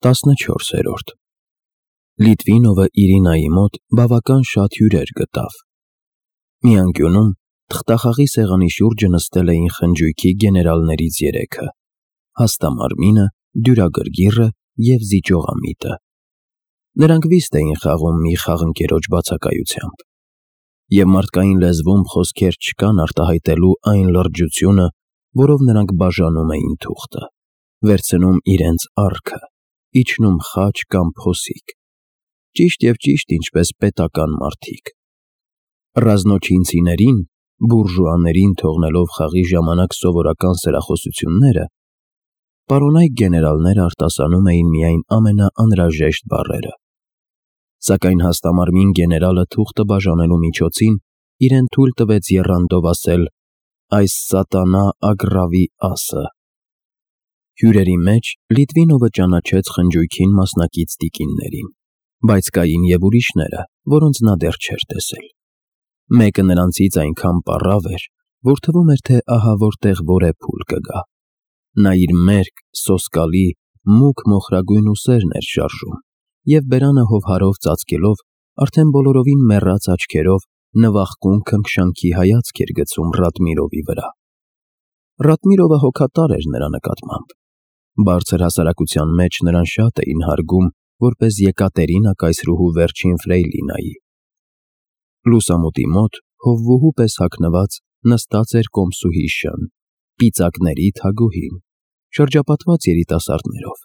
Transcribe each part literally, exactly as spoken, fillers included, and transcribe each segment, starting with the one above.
տասնչորսերորդ Լիտվինովը Իրինայի մոտ բավական շատ հյուրեր գտավ։ Մի անկյունում թղթախաղի սեղանի շուրջը նստել էին խնջույքի գեներալներից երեքը՝ Հաստամարմինը, Դյուրագրգիռը և Զիջողամիտը։ Նրանք վիստ էին խաղում մի խաղընկերոջ բացակայությամբ, և մարդկային լեզվում խոսքեր չկան արտահայտելու այն լրջությունը, որով նրանք բաժանում էին թուղթը, վերցնում իրենց առքը, իջնում խաչ կամ փոսիկ, ճիշտ և ճիշտ ինչպես պետական մարդիկ։ Ռազնոչինցիներին, բուրժուաներին թողնելով խաղի ժամանակ սովորական սրախոսությունները, պարոնայք գեներալները արտասանում էին միայն ամենաանհրաժեշտ բառերը։ Սակայն հաստամարմին գեներալը թուղթը բաժանելու միջոցին իրեն թույլ տվեց եռանդով ասել «այս սատանա Ագրավի ասը»։ Հյուրերի մեջ Լիտվինովը ճանաչեց խնջույքին մասնակից տիկիններին, բայց կային և ուրիշները, որոնց նա դեռ չէր տեսել։ Մեկը նրանցից այնքան պառավ էր, որ թվում էր, թե ահա որտեղ որեփուլ կգա։ Նա իր մերկ, սոսկալի, մուգ մոխրագույն ուսերն էր շարժում և բերանը հովհարով ծածկելով արդեն բոլորովին մեռած աչքերով նվախկուն քնքշանքի հայացք էր գցում Ռադմիրովի վրա։ Ռադմիրովը հոգատար էր նրա նկատմամբ։ Բարձր հասարակության մեջ նրան շատ էին հարգում որպես Եկատերինա կայսրուհու վերջին ֆրեյլինայի։ Լուսամուտի մոտ հովվուհու պես հագնված նստած էր կոմսուհի Շ֊ն, պիծակների Թագուհին, շրջապատված երիտասարդներով։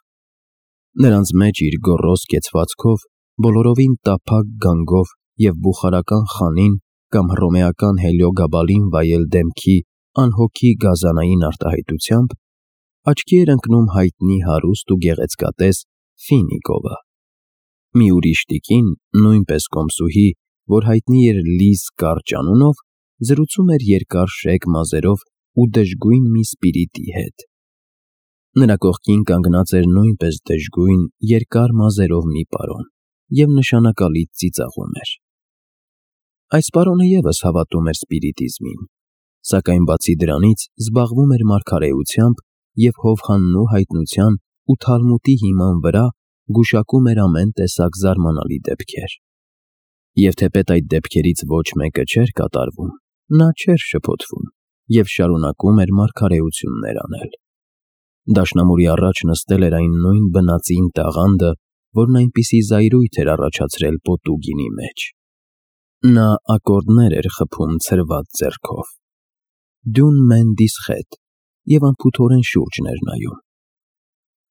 Նրանց մեջ իր գոռոզ կեցվածքով, բոլորովին տափակ գանգով և բուխարական խանին կամ հռոմեական հելիոգաբալին վայել դեմքի անհոգի գազանային արտահայտությամբ աչքի էր ընկնում հայտնի հարուստ ու գեղեցկատես Ֆինիկովը։ Մի ուրիշ տիկին, նույնպես կոմսուհի, որ հայտնի էր Լիզ Կարճ անունով, զրուցում էր երկար շեկ մազերով ու դժգույն մի սպիրիտի հետ։ Նրա կողքին կանգնած էր նույնպես դժգույն, երկար մազերով մի պարոն և նշանակալից ծիծաղում էր։ Այս պարոնը ևս հավատում էր սպիրիտիզմին, սակայն բացի դրանից զբաղվում էր մարգարեությամբ և հովհաննու հայտնության ու Թալմուդի հիման վրա գուշակում էր ամեն տեսակ զարմանալի դեպքեր։ Եվ թեպետ այդ դեպքերից ոչ մեկը չէր կատարվում, նա չէր շփոթվում և շարունակում էր մարգարեություններ անել։ Դաշնամուրի առաջ նստել էր այն նույն բնածին տաղանդը, որն այնպիսի զայրույթ էր առաջացրել Պոտուգինի մեջ։ Նա ակորդներ էր խփում ցրված ձեռքով։ «Դուն մեն դիսխետ» և անփութորեն շուրջն էր նայում։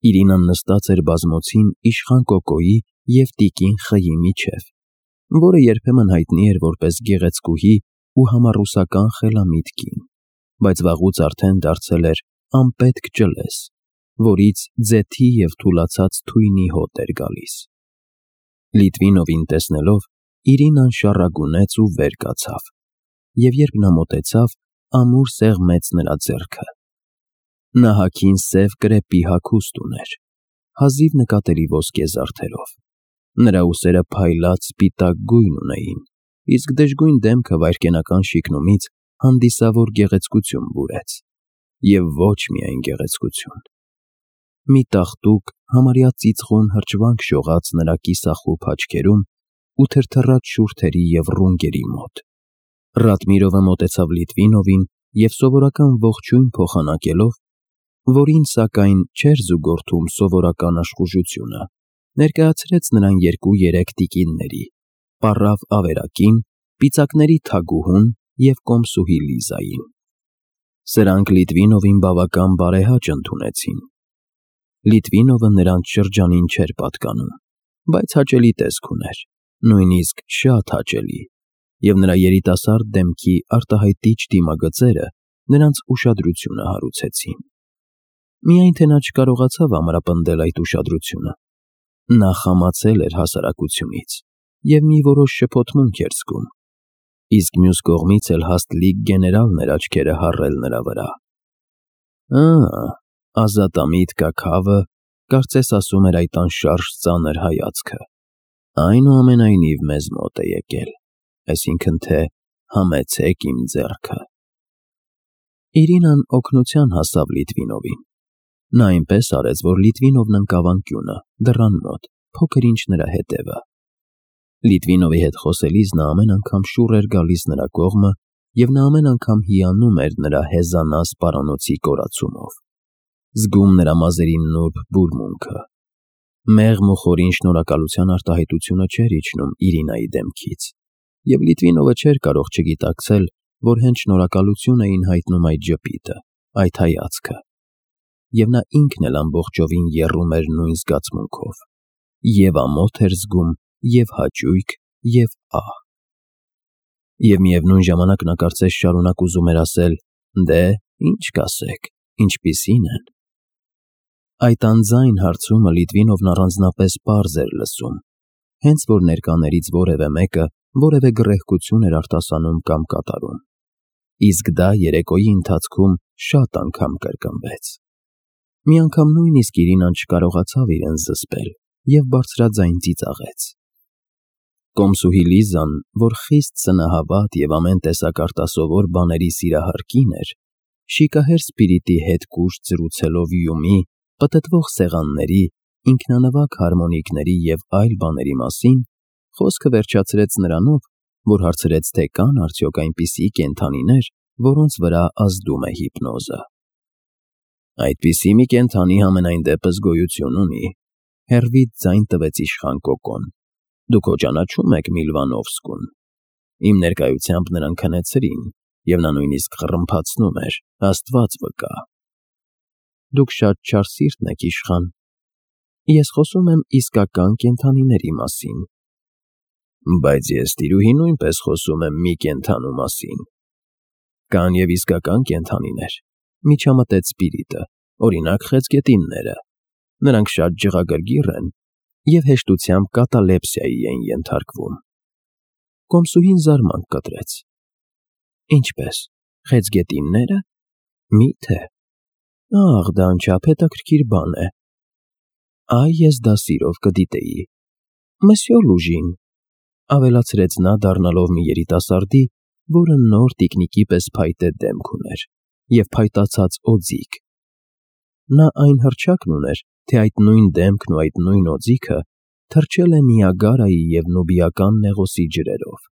Իրինան նստած էր բազմոցին իշխան Կոկոյի և տիկին Խ-ի միջև, որը երբեմն հայտնի էր որպես գեղեցկուհի ու համառուսական խելամիտ կին, բայց վաղուց արդեն դարձել էր անպետք ջլես, որից ձեթի և թուլացած թույնի հոտ էր գալիս։ Լիտվինովին տեսնելով Իրինան շառագունեց ու վեր կացավ, և երբ նա մոտեցավ, ամուր սեղմեց նրա ձեռքը։ Նա հագին սև կրեպի հագուստ ուներ, հազիվ նկատելի ոսկե զարդերով։ Նրա ուսերը փայլած սպիտակ գույն ունեին, իսկ դժգույն դեմքը վայրկենական շիկնումից հանդիսավոր գեղեցկություն բուրեց։ Եվ ոչ միայն գեղեցկություն։ Մի տաղտուկ, համարյա ծիծխուն հրճվանք շողաց նրա կիսախուփ աչքերում ու թրթռաց շուրթերի և ռունգերի մոտ։ Ռադմիրովը մոտեցավ Լիտվինովին և սովորական ողջույն փոխանակելով, որին, սակայն, չէր զուգորդում սովորական աշխուժությունը, ներկայացրեց նրան երկու-երեք տիկինների՝ պառավ ավերակին, պիծակների Թագուհուն և կոմսուհի Լիզային։ Սրանք Լիտվինովին բավական բարեհաճ ընդունեցին։ Լիտվինովը նրանց շրջանին չէր պատկանում, բայց հաճելի տեսք ուներ, նույնիսկ շատ հաճելի, և նրա երիտասարդ դեմքի արտահայտիչ դիմագծերը նրանց ուշադրությունը հարուցեցին։ Միայն թե նա չկարողացավ ամրապնդել այդ ուշադրությունը։ Նա խամացել էր հասարակությունից և մի որոշ շփոթմունք էր զգում, իսկ մյուս կողմից էլ հաստլիկ գեներալն էր աչքերը հառել նրա վրա։ «Ա՜, ազատամիտ կաքավը կարծես ասում էր այդ անշարժ ծանր հայացքը, այնուամենայնիվ մեզ մոտ է եկել, այսինքն թե համեցեք իմ ձեռքը»։ Իրինան օգնության հասավ Լիտվինովին։ Նա այնպես արեց, որ Լիտվինովն ընկավ անկյունը, դռան մոտ, փոքր ինչ նրա հետևը։ Լիտվինովի հետ խոսելիս նա ամեն անգամ շուռ էր գալիս նրա կողմը, և նա ամեն անգամ հիանում էր նրա հեզանաս պարանոցի կորացումով, զգում նրա մազերի նուրբ բուրմունքը։ Մեղմ ու խորին շնորհակալության արտահայտությունը չէր իջնում Իրինայի դեմքից, և Լիտվինովը չէր կարող չգիտակցել, որ հենց շնորհակալություն էին հայտնում այդ ժպիտը, այդ հայացքը, և նա ինքն էլ ամբողջովին եռում էր նույն զգացմունքով, և ամոթ էր զգում, և հաճույք, և ահ։ Եվ միևնույն ժամանակ նա կարծես շարունակ ուզում էր ասել. «Դե, ինչ կասեք, ինչպիսի՞ն են»։ Այդ անձայն հարցումը Լիտվինովն առանձնապես պարզ էր լսում, հենց որ ներկաներից որևէ մեկը որևէ գռեհկություն էր արտասանում կամ կատարում, իսկ դա երեկոյի ընթացքում շատ անգամ կրկնվեց։ Մի անգամ նույնիսկ Իրինան չկարողացավ իրեն զսպել և բարձրաձայն ծիծաղեց։ Կոմսուհի Լիզան, որ խիստ սնահավատ և ամեն տեսակ արտասովոր բաների սիրահար կին էր, շիկահեր Սպիրիդի հետ կուշտ զրուցելով Յումի, պտտվող սեղանների, ինքնանվագ հարմոնիկների և այլ բաների մասին, խոսքը վերջացրեց նրանով, որ հարցրեց, թե կան արդյոք այնպիսի կենդանիներ, որոնց վրա ազդում է հիպնոզը։ «Այդպիսի մի կենդանի համենայն դեպս գոյություն ունի», հեռվից ձայն տվեց իշխան Կոկոն։ «Դուք հո ճանաչում եք Միլվանովսկուն։ Իմ ներկայությամբ նրան քնեցրին, և նա նույնիսկ խռմփացնում էր, Աստված վկա»։ «Դուք շատ չար սիրտն եք, իշխան։ Ես խոսում եմ իսկական կենդանիների մասին»։ «Բայց ես, տիրուհի, նույնպես խոսում եմ մի կենդանու մասին»։ «Կան և իսկական կենդանիներ», միջամտեց Սպիրիդը, «օրինակ, խեցգետինները։ Նրանք շատ ջղագրգիռ են և հեշտությամբ կատալեպսիայի են ենթարկվում»։ Կոմսուհին զարմանք կտրեց. «Ինչպե՞ս, խեցգետիննե՞րը։ Մի՞թե։ Ախ, դա անչափ հետաքրքիր բան է։ Այ ես դա սիրով կդիտեի։ Մսյո Լուժին», ավելացրեց նա, դառնալով մի երիտասարդի, որը նոր տիկնիկի պես փայտե դեմք ուներ և փայտացած օձիք։ Նա այն հռչակն ուներ, թե այդ նույն դեմքն ու այդ նույն օձիքը թռչել է Նիագարայի և Նուբիական Նեղոսի ջրերով,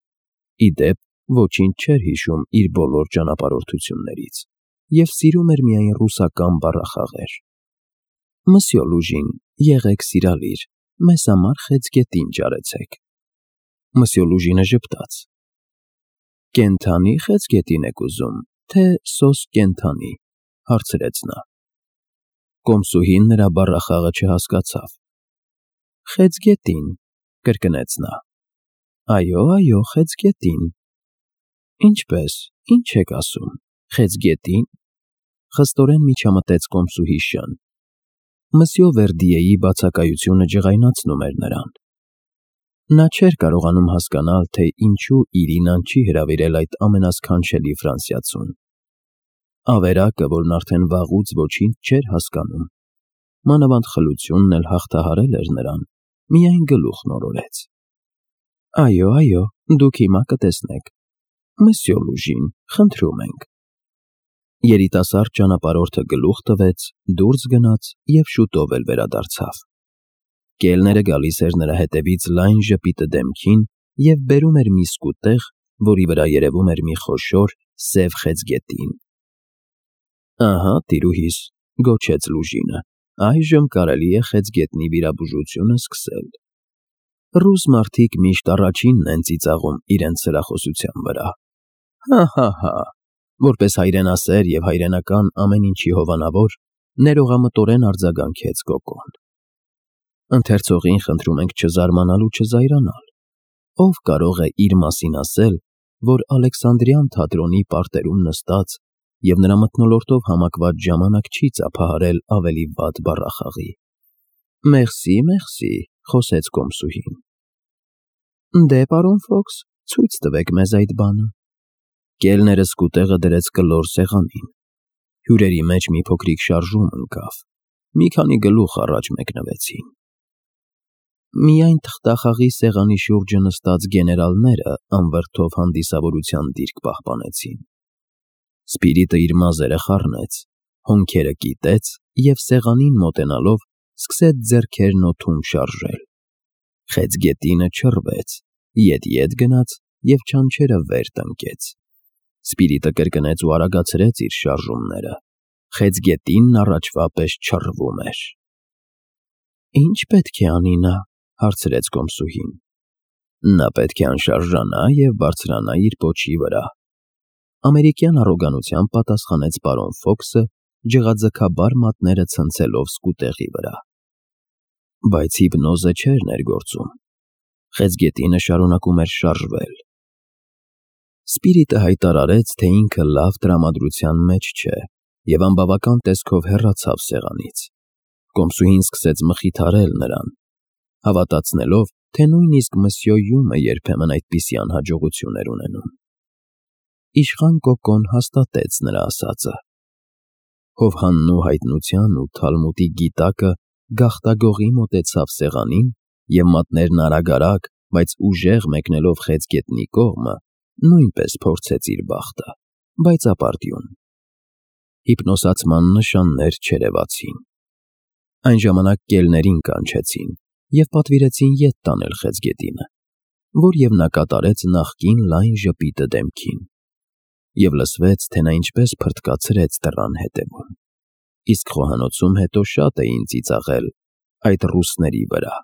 ի դեպ, ոչինչ չէր հիշում իր բոլոր ճանապարհորդություններից և սիրում էր միայն ռուսական բառախաղեր։ «Մսյո Լուժին, եղեք սիրալիր, մեզ համար խեցգետին ճարեցեք»։ Մսյո Լուժինը ժպտաց. «Կենդանի՞ խեցգետին եք ուզում, թե սոսկ կենդանի», հարցրեց նա։ Կոմսուհին նրա բառախաղը չհասկացավ։ «Խեցգետին», կրկնեց նա։ «Այո, այո, խեցգետին»։ «Ինչպե՞ս, ինչ եք ասում, խեցգետի՞ն», խստորեն միջամտեց կոմսուհի Շն։ Մսյո Վերդիեի բացակայությունը ջղայնացնում էր նրան։ Նա չէր կարողանում հասկանալ, թե ինչու Իրինան չի հրավիրել այդ ամենասքանչելի ֆրանսիացուն։ Ավերակը, որն արդեն վաղուց ոչինչ չէր հասկանում, մանավանդ խլությունն էլ հաղթահարել էր նրան, միայն գլուխն օրորեց։ «Այո, այո, դուք հիմա կտեսնեք։ Մսյո Լուժին, խնդրում ենք»։ Երիտասարդ ճանապարհորդը գլուխ տվեց, դուրս գնաց և շուտով էլ վերադարձավ։ Կելները գալիս էր նրա հետևից լայն ժպիտը դեմքին և բերում էր մի սկուտեղ, որի վրա երևում էր մի խոշոր, սև խեցգետին։ «Ահա, տիրուհիս», գոչեց Լուժինը, «այժմ կարելի է խեցգետնի վիրաբուժությունը սկսել»։ Ռուս մարդիկ միշտ առաջինն են ծիծաղում իրենց սրախոսության վրա։ Հա՛֊հա՛֊հա՛, որպես հայրենասեր և հայրենական ամեն ինչի հովանավոր, ներողամտորեն արձագանքեց Կոկոն։ Ընթերցողին խնդրում ենք չզարմանալ ու չզայրանալ։ Ո՞վ կարող է իր մասին ասել, որ Ալեքսանդրյան թատրոնի պարտերում նստած և նրա մթնոլորտով համակված ժամանակ չի ծափահարել ավելի վատ բառախաղի։ «Մերսի, մերսի», խոսեց կոմսուհին։ «Դե, պարոն Ֆոքս, ցույց տվեք մեզ այդ բանը»։ Կելները սկուտեղը դրեց կլոր սեղանին։ Հյուրերի մեջ մի փոքրիկ շարժում ընկավ։ Մի քանի գլուխ առաջ մեկնվեցին։ Միայն թղթախաղի սեղանի շուրջը նստած գեներալները անվրդով հանդիսավորության դիրք պահպանեցին։ Սպիրիդը իր մազերը խառնեց, հոնքերը կիտեց և սեղանին մոտենալով սկսեց ձեռքերն օդում շարժել։ Խեցգետինը չռվեց, ետ-ետ գնաց և չանչերը վեր տնկեց։ Սպիրիտը կրկնեց ու արագացրեց իր շարժումները։ Խեցգետինն առաջվա պես չռվում էր։ «Ի՞նչ պետք է անի նա», հարցրեց կոմսուհին։ «Նա պետք է անշարժանա և բարձրանա իր պոչի վրա», ամերիկյան առոգանությամբ պատասխանեց պարոն Ֆոքսը, ջղաձգաբար մատները ցցելով սկուտեղի վրա։ Բայց հիպնոզը չէր ներգործում։ Խեցգետինը շարունակում էր շարժվել։ Սպիրիտը հայտարարեց, թե ինքը լավ տրամադրության մեջ չէ, և անբավական տեսքով հեռացավ սեղանից։ Կոմսուհին սկսեց մխիթարել նրան, հավատացնելով, թե նույնիսկ մսյո Յումը երբեմն այդպիսի անհաջողություն էր ունենում։ Իշխան Կոկոն հաստատեց նրա ասածը։ Հովհաննու հայտնության ու թալմուդի գիտակը գաղտագողի մոտեցավ սեղանին և մատներն արագ-արագ, բայց ուժեղ մեկնելով խեցգետնի կողմը, նույնպես փորձեց իր բախտը, բայց ապարդյուն։ Հիպնոսացման նշաններ չերևացին։ Այն ժամանակ կելներին կանչեցին և պատվիրեցին ետ տանել խեցգետինը, որ և նա կատարեց նախկին լայն ժպիտը դեմքին, և լսվեց, թե նա ինչպես փռթկացրեց դռան ետևում, իսկ խոհանոցում հետո շատ էին ծիծաղել այդ ռուսների վրա։